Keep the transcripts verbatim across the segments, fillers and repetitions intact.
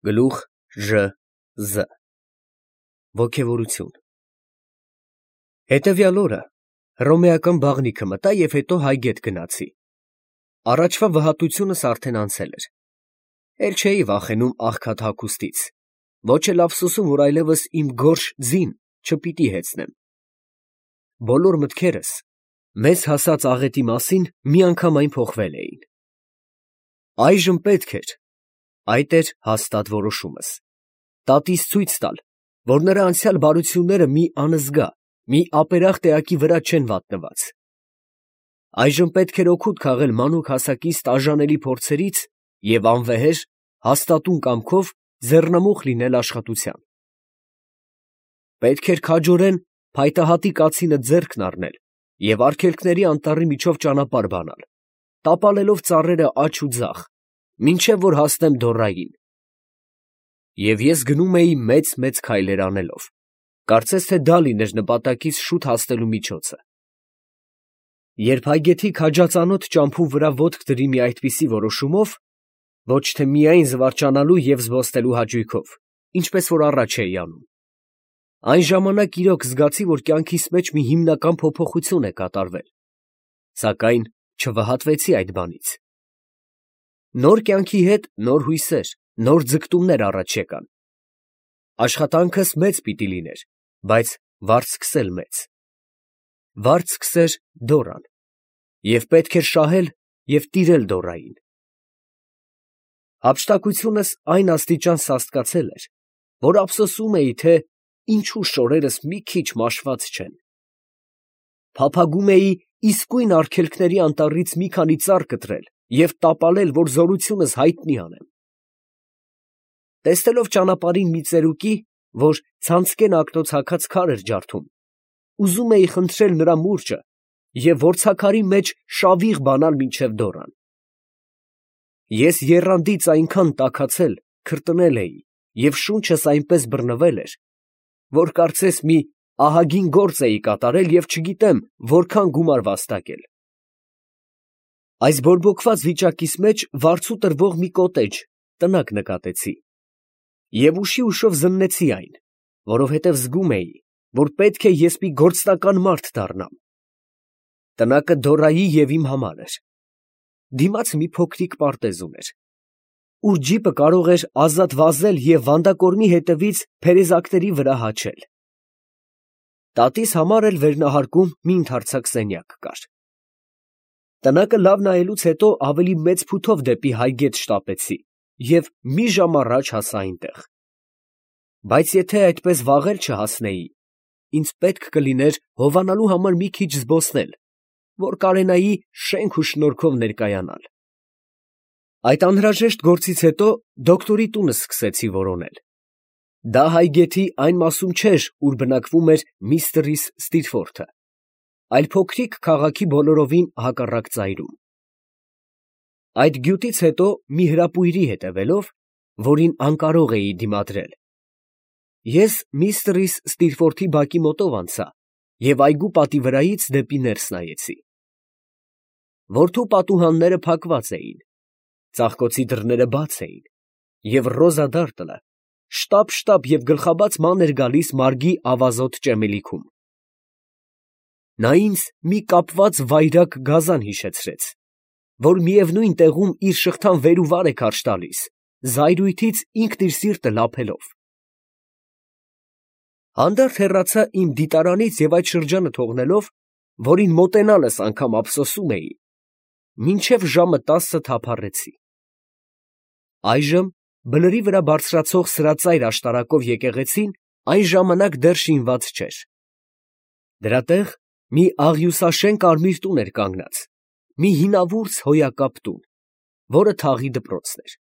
Գլուխ Ժ Զ Ոգևորություն Հետևյալ օրը հռոմեական բաղնիքը մտա և հետո հայգետ գնացի։ Առաջվա վհատությունս արդեն անցել էր։ Էլ չէի վախենում աղքատ հագուստից, ոչ էլ ափսոսում, որ այլևս իմ գորշ ձին չպիտի հեծնեմ։ Բոլոր մտքերս մեզ հասած աղետի մասին միանգամայն փոխվել էին։ Այժմ պետք էր, այդ էր հաստատ որոշումս, տատիս ցույց տալ, որ նրա անցյալ բարությունները մի անզգա, մի ապերախտ էակի վրա չեն վատնված։ Այժմ պետք էր օգուտ քաղել մանուկ հասակից տաժանելի փորձերից և անվեհեր, հաստատուն կամքով ձեռնամուխ լինել աշխատության։ Պետք էր քաջորեն փայտահատի կացինը ձեռքն առնել և արգելքների անտառի միջով ճանապարհ բանալ, տապալելով ծառերը աջ ու ձախ, մինչև որ հասնեմ Դոռային։ Եվ ես գնում էի մեծ֊մեծ քայլեր անելով, կարծես թե դա լիներ նպատակիս շուտ հասնելու միջոցը։ Երբ հայգեթի քաջածանոթ ճամփու վրա ոտք դրի մի այդպիսի որոշումով, ոչ թե միայն զվարճանալու և զբոսնելու հաճույքով, ինչպես որ առաջ էի անում, այն ժամանակ իրոք զգացի, որ կյանքիս մեջ մի հիմնական փոփոխություն է կատարվել, սակայն չվհատվեցի այդ բանից։ Նոր կյանքի հետ նոր հույսեր, նոր ձգտումներ առաջ եկան։ Աշխատանքս մեծ պիտի լիներ, բայց վարձ սկսել մեծ։ Վարձ սկսեր Դոռան, և պետք էր շահել և տիրել Դոռային։ Հափշտակությունս այն աստիճան սաստկացել էր, որ ափսոսում էի, թե ինչու շորերս մի քիչ մաշված չեն։ Փափագում էի իսկույն արգելքների անտառից մի քանի ծառ կտրել և տապալել, որ զորությունս հայտնի անեմ։ Տեսնելով ճանապարհին մի ծերուկի, որ ցանցկեն ակնոց հագած քար էր ջարդում, ուզում էի խնդրել նրա մուրճը և որցաքարի մեջ շավիղ բանալ մինչև Դոռան։ Ես եռանդից այնքան տաքացել, քրտնել էի և շունչս այնպես բռնվել էր, որ կարծես մի ահագին գործ էի կատարել և չգիտեմ որքան գումար վաստակել։ Այս բորբոքված վիճակիս մեջ վարձու տրվող մի կոտեջ տնակ նկատեցի և ուշի ուշով զննեցի այն, որովհետև զգում էի, որ պետք է ես մի գործնական մարդ դառնամ։ Տնակը Դոռայի և իմ համար էր։ Դիմաց մի փոքրիկ պարտեզ ուներ, ուր ջիպը կարող էր ազատ վազել և վանդակորմի հետևից փերեզակների վրա հաչել։ Տատիս համար էլ վերնահարկում մի ընդարձակ սենյակ կար։ Տնակը լավ նայելուց հետո ավելի մեծ փութով դեպի հայգետ շտապեցի և մի ժամ առաջ հասա այնտեղ։ Բայց եթե այդպես վաղել չհասնեի, ինձ պետք կլիներ հովանալու համար մի քիչ զբոսնել, որ կարենայի շենք ու շնորհքով ներկայանալ։ Այդ անհրաժեշտ գործից հետո դոկտորի տունը սկսեցի որոնել։ Դա հայգեթի այն մասում չէր, ուր բնակվում էր միստրիս Ստիրֆորթը, այլ փոքրիկ քաղաքի բոլորովին հակառակ ծայրում։ Այդ գյուտից հետո մի հրապույրի հետևելով, որին անկարող էի դիմադրել, ես միստրիս Ստիրֆորթի բակի մոտով անցա և այգու պատի վրայից դեպի ներս նայեցի։ Որդու պատուհանները փակված էին, ծաղկոցի դռները բաց էին, և Ռոզա Դարտլը շտապ֊շտապ և գլխաբաց ման էր գալիս մարգի ավազոտ ճեմելիքում։ Նա ինձ մի կապված վայրագ գազան հիշեցրեց, որ միևնույն տեղում իր շղթան վեր ու վար է քարշ տալիս, զայրույթից ինքն իր սիրտը լափելով։ Հանդարտ հեռացա իմ դիտարանից և այդ շրջանը թողնելով, որին մոտենալս անգամ ափսոսում էի, մինչև ժամը տասը թափառեցի։ Այժմ բլրի վրա բարձրացող սրածայր աշտարակով եկեղեցին այն ժամանակ դեռ շինված չէր։ Դրա տեղ մի աղյուսաշեն կարմիր տուն էր կանգնած, մի հինավուրց հոյակապ տուն, որը թաղի դպրոցն էր։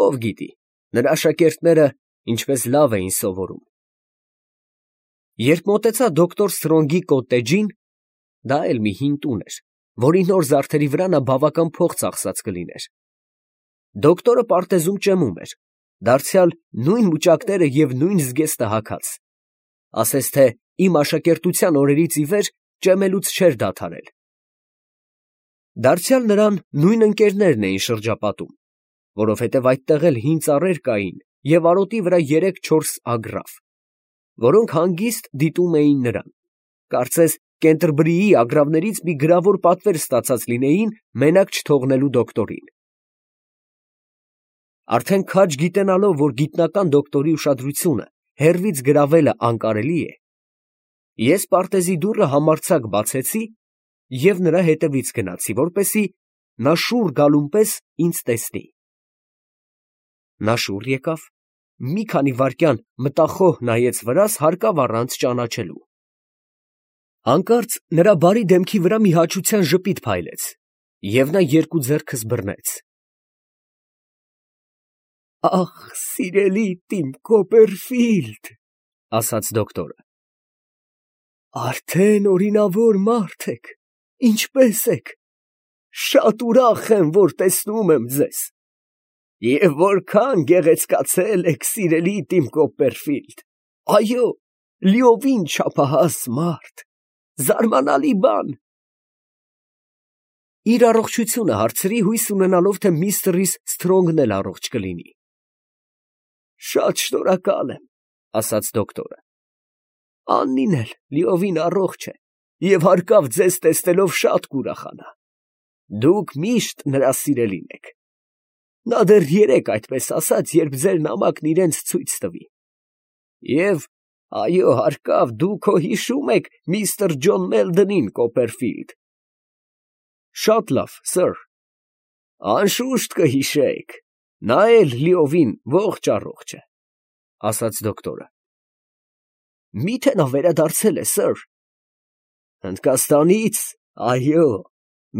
Ով գիտի, նրա աշակերտները ինչպես լավ էին սովորում։ Երբ մոտեցա դոկտոր Ստրոնգի կոտեջին, դա էլ մի հին տուն էր, որի նոր զարդերի վրա նա բավական փող ծախսած կլիներ։ Դոկտորը պարտեզում ճեմում էր, դարձյալ նույն մուճակները և նույն զգեստը հագած, ասես թե իմ աշակերտության օրերից ի վեր ճեմելուց չէր դադարել։ Դարձյալ նրան նույն ընկերներն էին շրջապատում, որովհետև այդտեղ էլ հին ծառեր կային և արոտի վրա երեք֊չորս ագռավ, որոնք հանգիստ դիտում էին նրան, կարծես Կենտերբրիի ագռավներից մի գրավոր պատվեր ստացած լինեին մենակ չթողնելու դոկտորին։ Արդեն քաջ գիտենալով, որ գիտնական դոկտորի ուշադրությունը հեռվից գրավելը անկարելի է, ես պարտեզի դուռը համարձակ բացեցի և նրա հետևից գնացի, որպեսզի նա շուռ գալուն պես ինձ տեսնի։ Նա շուռ եկավ, մի քանի վայրկյան մտախոհ նայեց վրաս, հարկավ առանց ճանաչելու։ Հանկարծ նրա բարի դեմքի վրա մի հաճության ժպիտ փայլեց, և նա երկու ձեռքս բռնեց։ «Ախ, սիրելի Տիմ Կոպերֆիլդ, ֊ ասաց դոկտորը, ֊ արդեն օրինավոր մարդ եք, ինչպե՞ս եք, շատ ուրախ եմ, որ տեսնում եմ ձեզ, և որքան գեղեցկացել եք, սիրելի Տիմ Կոպերֆիլդ, այո, լիովին չափահաս մարդ, զարմանալի բան»։ Իր առողջությունը հարցրի, հույս ունենալով, թե միստր Սթրոնգն էլ առողջ կլինի։ «Շատ շնորհակալ եմ, ֊ ասաց դոկտորը, ֊ Աննին էլ լիովին առողջ է և հարկավ ձեզ տեսնելով շատ կուրախանա, դուք միշտ նրա սիրելին եք, նա դեռ երեկ այդպես ասաց, երբ ձեր նամակն իրենց ցույց տվի, և այո, հարկավ դուք հո հիշում եք միստր Ջոն Մելդոնին, Կոպերֆիլդ։ Շատ լավ, սըր, անշուշտ կհիշեք, նա էլ լիովին ողջ առողջ է, ֊ ասաց դոկտորը։ Մի՞թե նա վերադարձել է, սըր։ Հնդկաստանից, այո,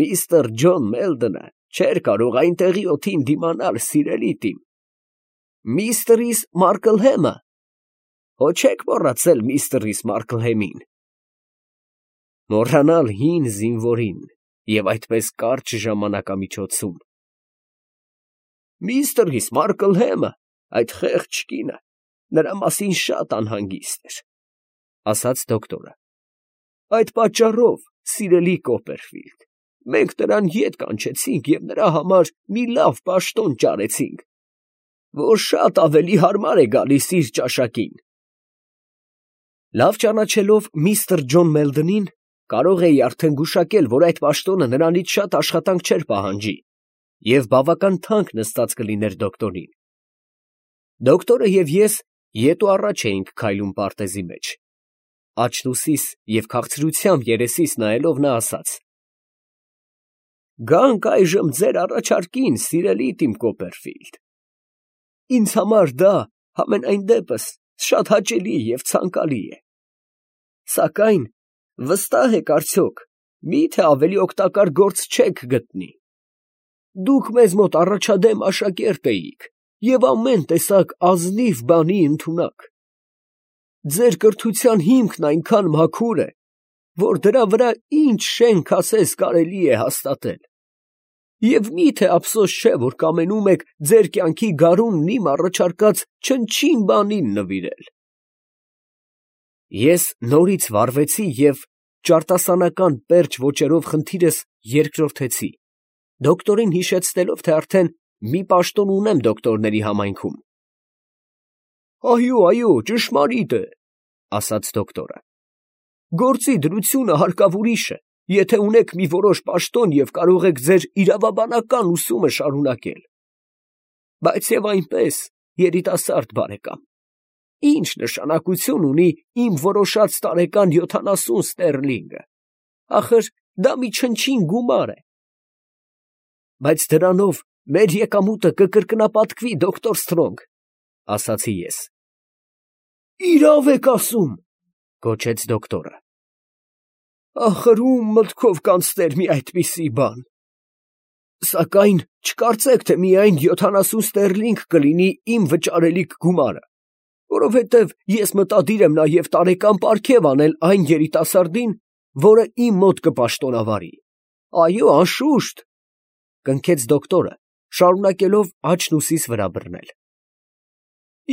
միստր Ջոն Մելդոնը չէր կարող այնտեղի օդին դիմանալ, սիրելի Տիմ։ Միստր Մարկլհեմը, հո չեք մոռացել միստր Մարկլհեմին։ Մոռանալ հին զինվորին և այդպես կարճ ժամանակամիջոցում։ Միստր Մարկլհեմը, այդ խեղճ կինը, նրա մասին շատ անհանգիստ էր, ֊ ասաց դոկտորը։ Այդ պատճառով, սիրելի Կոպերֆիլդ, մենք նրան ետ կանչեցինք և նրա համար մի լավ պաշտոն ճարեցինք, որ շատ ավելի հարմար է գալիս իր ճաշակին։ Լավ ճանաչելով միստր Ջոն Մելդոնին, կարող էի արդեն գուշակել, որ այդ պաշտոնը նրանից շատ աշխատանք չէր պահանջի և բավական թանկ նստած կլիներ դոկտորին։ Դոկտորը և ես ետ ու առաջ էինք քայլում պարտեզի մեջ։ Աչքուսիս և քաղցրությամբ երեսիս նայելով նա ասաց. «Գանք այժմ ձեր առաջարկին, սիրելի Տիմ Կոպերֆիլդ. ինձ համար դա համենայն դեպս շատ հաճելի և ցանկալի է, սակայն վստահ եք արդյոք, մի՞թե ավելի օգտակար գործ չեք գտնի։ Դուք մեզ մոտ առաջադեմ աշակերտ էիք և ամեն տեսակ ազնիվ բանի ընդունակ։ Ձեր կրթության հիմքն այնքան մաքուր է, որ դրա վրա ինչ շենք ասես կարելի է հաստատել, և մի՞թե ափսոս չէ, որ կամենում եք ձեր կյանքի գարունն իմ առաջարկած չնչին բանին նվիրել։ Ես նորից վառվեցի և ճարտասանական պերճ ոճերով խնդիրս երկրորդեցի, դոկտորին հիշեցնելով, թե արդեն մի պաշտոն ունեմ դոկտորների համայնքում։ Այո, այո, ճշմարիտ է, ֊ ասաց դոկտորը։ Գործի դրությունը հարկավ ուրիշ է, եթե ունեք մի որոշ պաշտոն և կարող եք ձեր իրավաբանական ուսումը շարունակել։ Բայց և այնպես, երիտասարդ բարեկամ, ի՞նչ նշանակություն ունի իմ որոշած տարեկան յոթանասուն ստեռլինգը, ախր դա մի չնչին գումար է։ Բայց դրանով մեր եկամուտը կկրկնապատկվի, դոկտոր Սթրոնգ, ֊ ասացի ես։ Իրավ եք ասում, ֊ գոչեց դոկտորը։ Ախր ո՞ւմ մտքով կանցներ մի այդպիսի բան։ Սակայն չկարծեք, թե միայն յոթանասուն ստեռլինգ կլինի իմ վճարելիք գումարը, որովհետև ես մտադիր եմ նաև տարեկան պարգև անել այն երիտասարդին, որը իմ մոտ կպաշտոնավարի։ Այո, անշուշտ, ֊ կնքեց դոկտորը, շարունակելով աչքն ուսիս վրա բռնել։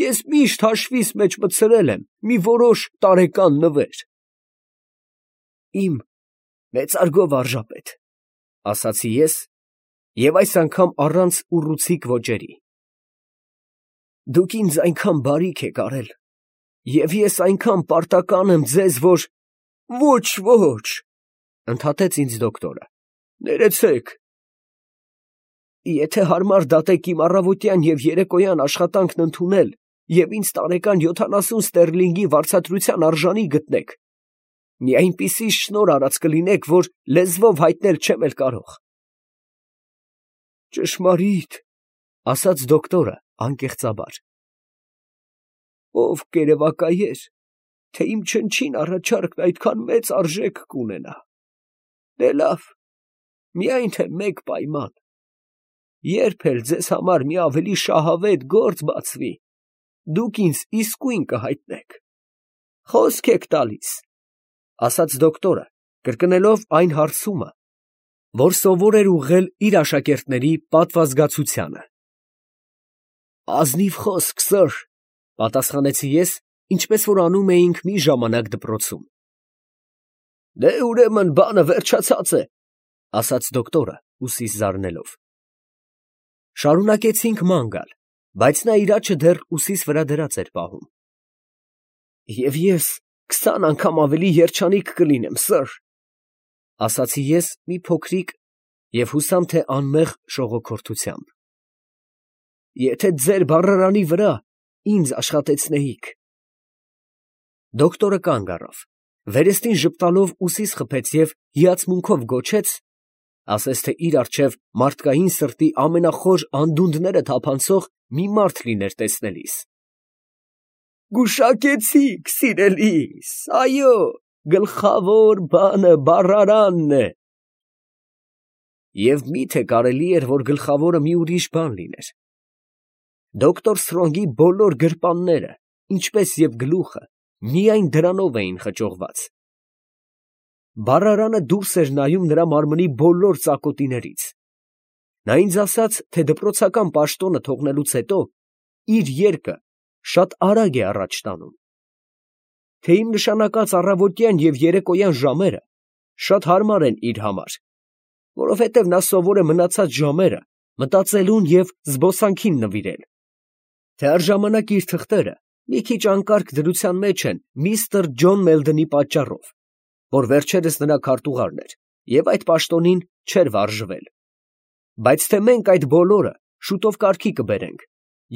Ես միշտ հաշվիս մեջ մտցրել եմ մի որոշ տարեկան նվեր։ Իմ մեծարգո վարժապետ, ֊ ասացի ես և այս անգամ առանց ուռուցիկ ոճերի. «Դուք ինձ այնքան բարիք եք արել, և ես այնքան պարտական եմ ձեզ, որ…» «Ոչ, ոչ, ֊ ընդհատեց ինձ դոկտորը, ֊ ներեցեք»։ «Եթե հարմար դատեք իմ առավոտյան և երեկոյան աշխատանքն ընդունել և ինձ տարեկան յոթանասուն ստերլինգի վարձատրության արժանի գտնեք, մի այնպիսի շնորհ արած կլինեք, որ լեզվով հայտնել չեմ էլ կարող»։ «Ճշմարիտ, ֊ ասաց դոկտորը անկեղծաբար, ֊ ով կերևակայեր, թե իմ չնչին առաջարկն այդքան մեծ արժեք կունենա։ Դե լավ, միայն թե մեկ պայման. երբ էլ ձեզ համար մի ավելի շահավետ գործ բացվի, դուք ինձ իսկույն կհայտնեք։ Խոսք եք տալիս, ֊ ասաց դոկտորը, կրկնելով այն հարցումը, որ սովոր էր ուղղել իր աշակերտների պատվազգացությանը։ «Ազնիվ խոսք, սըր, ֊ պատասխանեցի ես, ինչպես որ անում էինք մի ժամանակ դպրոցում։ ֊ Դե ուրեմն բանը վերջացած է, ֊ ասաց դոկտորը ուսիս զարնելով։ Շարունակեցինք ման գալ, բայց նա իր աջը դեռ ուսիս վրա դրած էր պահում։ «Եվ ես քսան անգամ ավելի երջանիկ կլինեմ, սըր, ֊ ասացի ես մի փոքրիկ և հուսամ, թե անմեղ շողոքորթությամբ, ֊ եթե ձեր վառարանի վրա ինձ աշխատեցնեիք»։ Դոկտորը կանգ առավ, վերստին ժպտալով ուսիս խփեց և հիացմունքով գոչեց, ասես թե իր առջև մարդկային սրտի ամենախոր անդունդները թափանցող մի մարդ լիներ տեսնելիս. «Գուշակեցիք, սիրելիս, այո, գլխավոր բանը վառարանն է»։ Եվ մի՞թե կարելի էր, որ գլխավորը մի ուրիշ բան լիներ։ Դոկտոր Սթրոնգի բոլոր գրպանները, ինչպես և գլուխը, միայն դրանով էին խճողված։ Վառարանը դուրս էր նայում նրա մարմնի բոլոր ծակոտիներից։ Նա ինձ ասաց, թե դպրոցական պաշտոնը թողնելուց հետո իր երկը շատ արագ է առաջ տանում, թե իմ նշանակած առավոտյան և երեկոյան ժամերը շատ հարմար են իր համար, որովհետև նա սովոր է մնացած ժամերը մտածելուն և զբոսանքին նվիրել, թե առժամանակ իր թղթերը մի քիչ անկարգ դրության մեջ են միստր Ջոն Մելդոնի պատճառով, որ վերջերս նրա քարտուղարն էր և այդ պաշտոնին չէր վարժվել, բայց թե մենք այդ բոլորը շուտով կարգի կբերենք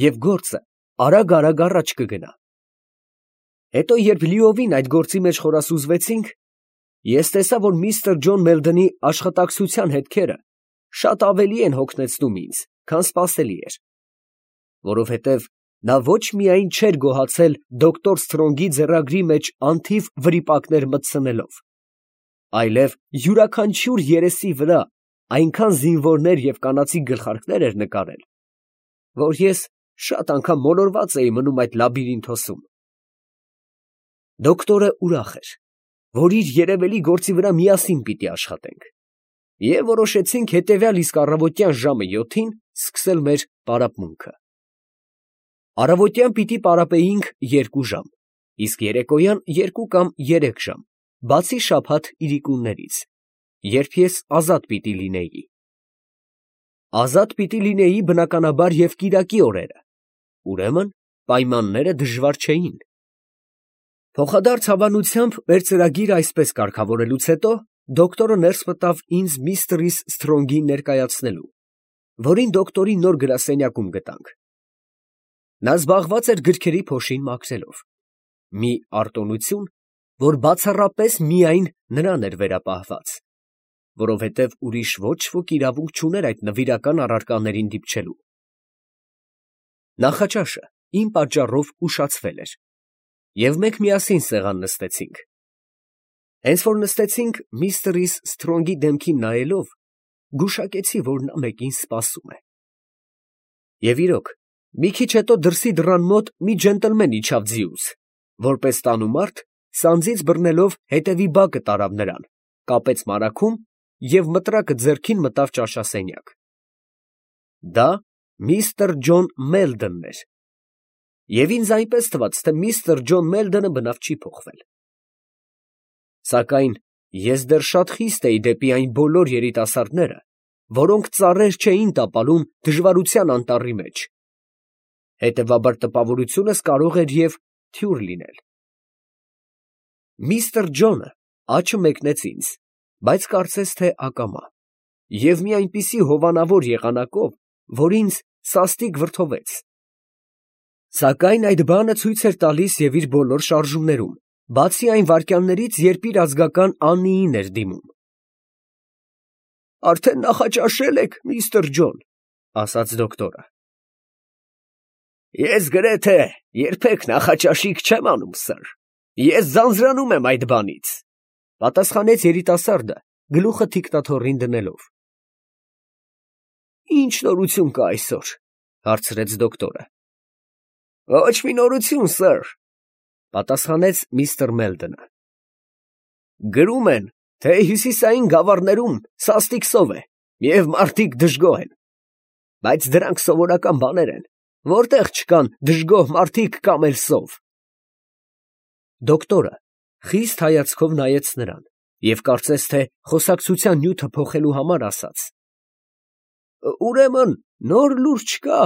և գործը արագ֊արագ առաջ կգնա։ Հետո երբ լիովին այդ գործի մեջ խորասուզվեցինք, ես տեսա, որ միստր Ջոն Մելդոնի աշխատակցության հետքերը շատ ավելի են հոգնեցնում ինձ, քան սպասելի էր, որովհետև նա ոչ միայն չէր գոհացել դոկտոր Սթրոնգի ձեռագրի մեջ անթիվ վրիպակներ մտցնելով, այլև յուրաքանչյուր երեսի վրա այնքան զինվորներ և կանացի գլխարկներ էր նկարել, որ ես շատ անգամ մոլորված էի մնում այդ լաբիրինթոսում։ Դոկտորը ուրախ էր, որ իր երևելի գործի վրա միասին պիտի աշխատենք, և որոշեցինք հետևյալ իսկ առավոտյան ժամը յոթին սկսել մեր պարապմունքը։ Առավոտյան պիտի պարապեինք երկու ժամ, իսկ երեկոյան երկու կամ երեք ժամ, բացի շաբաթ իրիկուններից, երբ ես ազատ պիտի լինեի։ Ազատ պիտի լինեի բնականաբար և կիրակի օրերը, ուրեմն պայմանները դժվար չէին։ Փոխադարձ հավանությամբ մեր ծրագիրը այսպես կարգավորելուց հետո դոկտորը ներս մտավ ինձ միստրիս Սթրոնգին ներկայացնելու, որին դոկտորի նոր գրասենյակում գտանք։ Նա զբաղված էր գրքերի փոշին մաքրելով, մի արտոնություն, որ բացառապես միայն նրան էր վերապահված, որովհետև ուրիշ ոչ ոք իրավունք չուներ այդ նվիրական առարկաներին դիպչելու։ Նախաճաշը իմ պատճառով ուշացվել էր, և մենք միասին սեղան նստեցինք։ Հենց որ նստեցինք, միստրիս Սթրոնգի դեմքին նայելով, գուշակեցի, որ նա մեկին սպասում է։ Եվ իրոք, մի քիչ հետո դրսի դռան մոտ մի ջենտլմեն իջավ ձիուց, որպես տանումարդ, սանձից բռնելով հետևի բակը տարավ նրան, կապեց մարագում և մտրակը ձեռքին մտավ ճաշասենյակ։ Դա միստր Ջոն Մելդոնն էր, և ինձ այնպես թվաց, թե միստր Ջոն Մելդոնը բնավ չի փոխվել։ Սակայն ես դեռ շատ խիստ էի դեպի այն բոլոր երիտասարդները, որոնք ծառեր չէին տապալում դժվարության անտառի մեջ։ Հետևաբար տպավորությունս կարող էր և թյուր լինել։ Միստր Ջոնը աչը մեկնեց ինձ, բայց կարծես թե ակամա, և մի այնպիսի հովանավոր եղանակով, որ ինձ սաստիկ վրդովեց։ Սակայն այդ բանը ցույց էր տալիս և իր բոլոր շարժումներում, բացի այն վայրկյաններից, երբ իր ազգական Աննիին էր դիմում։ ֊ Արդեն նախաճաշե՞լ եք, միստր Ջոն, ֊ ասաց դոկտորը։ ֊ Ես գրեթե երբեք նախաճաշիկ չեմ անում, սըր, ես ձանձրանում եմ այդ բանից, ֊ պատասխանեց երիտասարդը, գլուխը թիկնաթոռին դնելով։ ֊ Ի՞նչ նորություն կա այսօր, ֊ հարցրեց դոկտորը։ ֊ Ոչ մի նորություն, սըր, ֊ պատասխանեց միստր Մելդոնը։ ֊ Գրում են, թե հյուսիսային գավառներում սաստիկ սով է և մարդիկ դժգոհ են, բայց դրանք սովորական բաներ են, որտեղ չկան դժգոհ մարդիկ կամ էլ սով։ Դոկտորը խիստ հայացքով նայեց նրան և կարծես թե խոսակցության նյութը փոխելու համար ասաց. ֊ Ուրեմն նոր լուր չկա.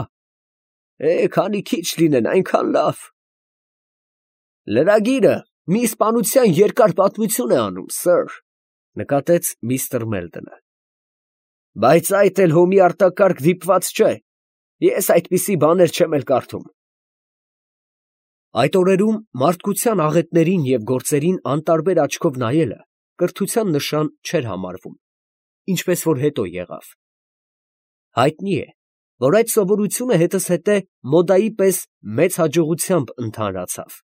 է, քանի քիչ լինեն, այնքան լավ։ ֊ Լրագիրը մի սպանության երկար պատմություն է անում, սըր, ֊ նկատեց միստր Մելդոնը։ ֊ Բայց այդ էլ հոմի արտակարգ դիպված չէ, ես այդպիսի բաներ չեմ էլ կարդում։ Այդ օրերում մարդկության աղետներին և գործերին անտարբեր աչքով նայելը կրթության նշան չէր համարվում, ինչպես որ հետո եղավ։ Հայտնի է, որ այդ սովորությունը հետզհետե մոդայի պես մեծ հաջողությամբ ընդհանրացավ։